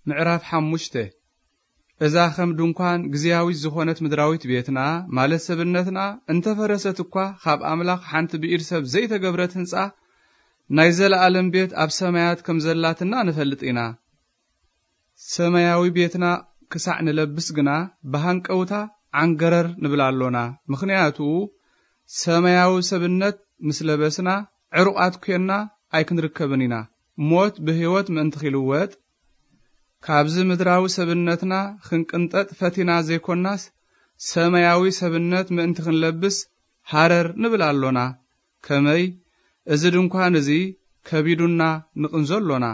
ምዕራፍ ሓሙሽተ። እዛ ከም ድንኳን ግዝያዊት ዝኾነት ምድራዊት ቤትና፣ ማለት ሰብነትና፣ እንተፈረሰት እኳ፣ ካብ ኣምላኽ ሓንቲ ብኢድ ሰብ ዘይተገብረት ህንጻ ናይ ዘለኣለም ቤት ኣብ ሰማያት ከም ዘላትና ንፈልጥ ኢና። ሰማያዊ ቤትና ክሳዕ ንለብስ ግና፣ ብሃንቀውታ ዓንገረር ንብል ኣሎና። ምኽንያቱ፣ ሰማያዊ ሰብነት ምስ ለበስና፣ ዕሩቓት ኴንና ኣይክንርከብን ኢና። ሞት ብህይወት ምእንቲ ኺልወጥ፣ ካብዚ ምድራዊ ሰብነትና ክንቅንጠጥ ፈቲና ዘይኮናስ፣ ሰማያዊ ሰብነት ምእንቲ ክንለብስ ሃረር ንብል ኣሎና። ከመይ፣ እዚ ድንኳን እዚ ከቢዱና ንቕንዞ ኣሎና።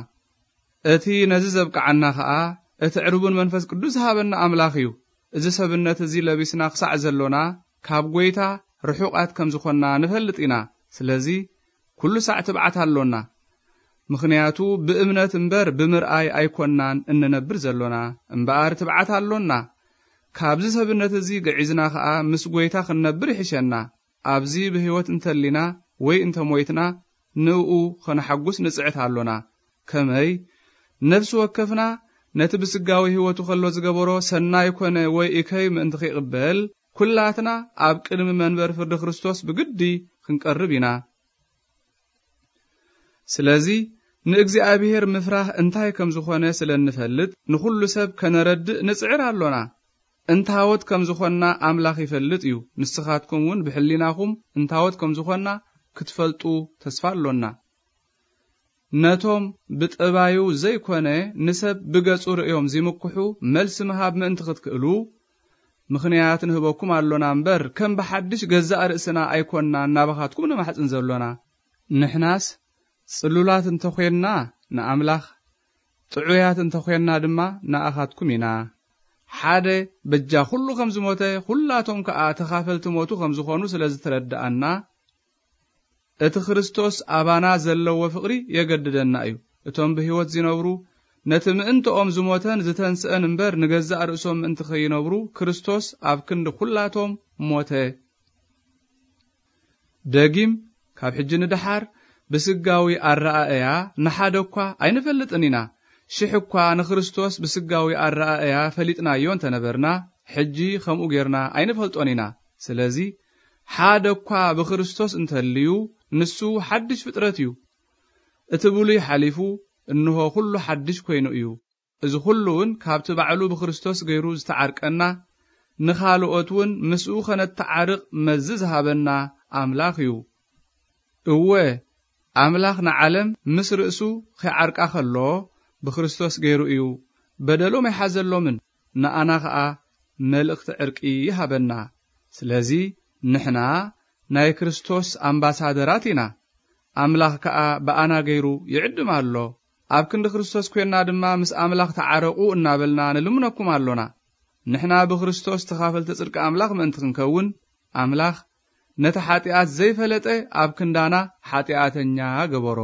እቲ ነዚ ዘብቅዓና ኸኣ፣ እቲ ዕሩብን መንፈስ ቅዱስ ዝሃበና ኣምላኽ እዩ። እዚ ሰብነት እዚ ለቢስና ክሳዕ ዘሎና፣ ካብ ጐይታ ርሑቓት ከም ዝኾንና ንፈልጥ ኢና። ስለዚ፣ ኩሉ ሳዕ ትብዓት ኣሎና። ምኽንያቱ፣ ብእምነት እምበር ብምርኣይ ኣይኮናን እንነብር ዘሎና፣ እምበኣር ትብዓት ኣሎና። ካብዚ ሰብነት እዚ ግዒዝና ኸኣ ምስ ጐይታ ክንነብር ይሕሸና። ኣብዚ ብህይወት እንተሊና ወይ እንተሞይትና፣ ንእኡ ኸነሓጉስ ንጽዕት ኣሎና። ከመይ? ነፍሲ ወከፍና ነቲ ብስጋዊ ህይወቱ ኸሎ ዝገበሮ ሰናይ ኮነ ወይ እከይ ምእንቲ ኺቕበል፣ ኩላትና ኣብ ቅድሚ መንበር ፍርዲ ክርስቶስ ብግዲ ክንቀርብ ኢና። ስለዚ፣ ንእግዚኣብሔር ምፍራህ እንታይ ከም ዝኾነ ስለ እንፈልጥ፣ ንኹሉ ሰብ ከነረድእ ንጽዕር ኣሎና። እንታዎት ከም ዝኾንና ኣምላኽ ይፈልጥ እዩ። ንስኻትኩም እውን ብሕሊናኹም እንታዎት ከም ዝኾንና ክትፈልጡ ተስፋ ኣሎና። ነቶም ብጠባዩ ዘይኮነ ንሰብ ብገጹ ርእዮም ዚምክሑ መልሲ ምሃብ ምእንቲ ክትክእሉ፣ ምኽንያት ንህበኩም ኣሎና እምበር፣ ከም ብሓድሽ ገዛእ ርእስና ኣይኮንና እናባኻትኩም ንማሕጽን ዘሎና። ንሕናስ ጽሉላት እንተ ኾንና ንኣምላኽ፣ ጥዑያት እንተ ኾንና ድማ ንኣኻትኩም ኢና። ሓደ በጃ ኩሉ ከም ዝሞተ፣ ኩላቶም ከኣ ተኻፈልቲ ሞቱ ከም ዝኾኑ ስለ ዝተረድኣና፣ እቲ ክርስቶስ ኣባና ዘለዎ ፍቕሪ የገድደና እዩ። እቶም ብህይወት ዚነብሩ፣ ነቲ ምእንትኦም ዝሞተን ዝተንስአን እምበር፣ ንገዛእ ርእሶም ምእንቲ ኸይነብሩ፣ ክርስቶስ ኣብ ክንዲ ኩላቶም ሞተ። ደጊም፣ ካብ ሕጂ ንደሓር፣ ብስጋዊ ኣረኣእያ ንሓደ እኳ ኣይንፈልጥን ኢና። ሽሕ እኳ ንክርስቶስ ብስጋዊ ኣረኣእያ ፈሊጥናዮ እንተ ነበርና፣ ሕጂ ኸምኡ ጌርና ኣይንፈልጦን ኢና። ስለዚ፣ ሓደ እኳ ብክርስቶስ እንተልዩ፣ ንሱ ሓድሽ ፍጥረት እዩ። እቲ ብሉይ ሓሊፉ፣ እንሆ፣ ኩሉ ሓድሽ ኮይኑ እዩ። እዚ ኩሉ እውን ካብቲ ባዕሉ ብክርስቶስ ገይሩ ዝተዓርቀና፣ ንኻልኦት እውን ምስኡ ኸነተዓርቕ መዚ ዝሃበና ኣምላኽ እዩ። እወ፣ ኣምላኽ ንዓለም ምስ ርእሱ ኺዓርቃ ኸሎ፣ ብክርስቶስ ገይሩ እዩ። በደሎም ኣይሓዘሎምን፣ ንኣና ኸኣ መልእኽቲ ዕርቂ ይሃበና። ስለዚ፣ ንሕና ናይ ክርስቶስ ኣምባሳደራት ኢና። ኣምላኽ ከኣ ብኣና ገይሩ ይዕድም ኣሎ። ኣብ ክንዲ ክርስቶስ ኴንና ድማ ምስ ኣምላኽ ተዓረቑ እናበልና ንልምነኩም ኣሎና። ንሕና ብክርስቶስ ተኻፈልቲ ጽድቂ ኣምላኽ ምእንቲ ክንከውን፣ ኣምላኽ ነቲ ሓጢኣት ዘይፈለጠ ኣብ ክንዳና ሓጢኣተኛ ገበሮ።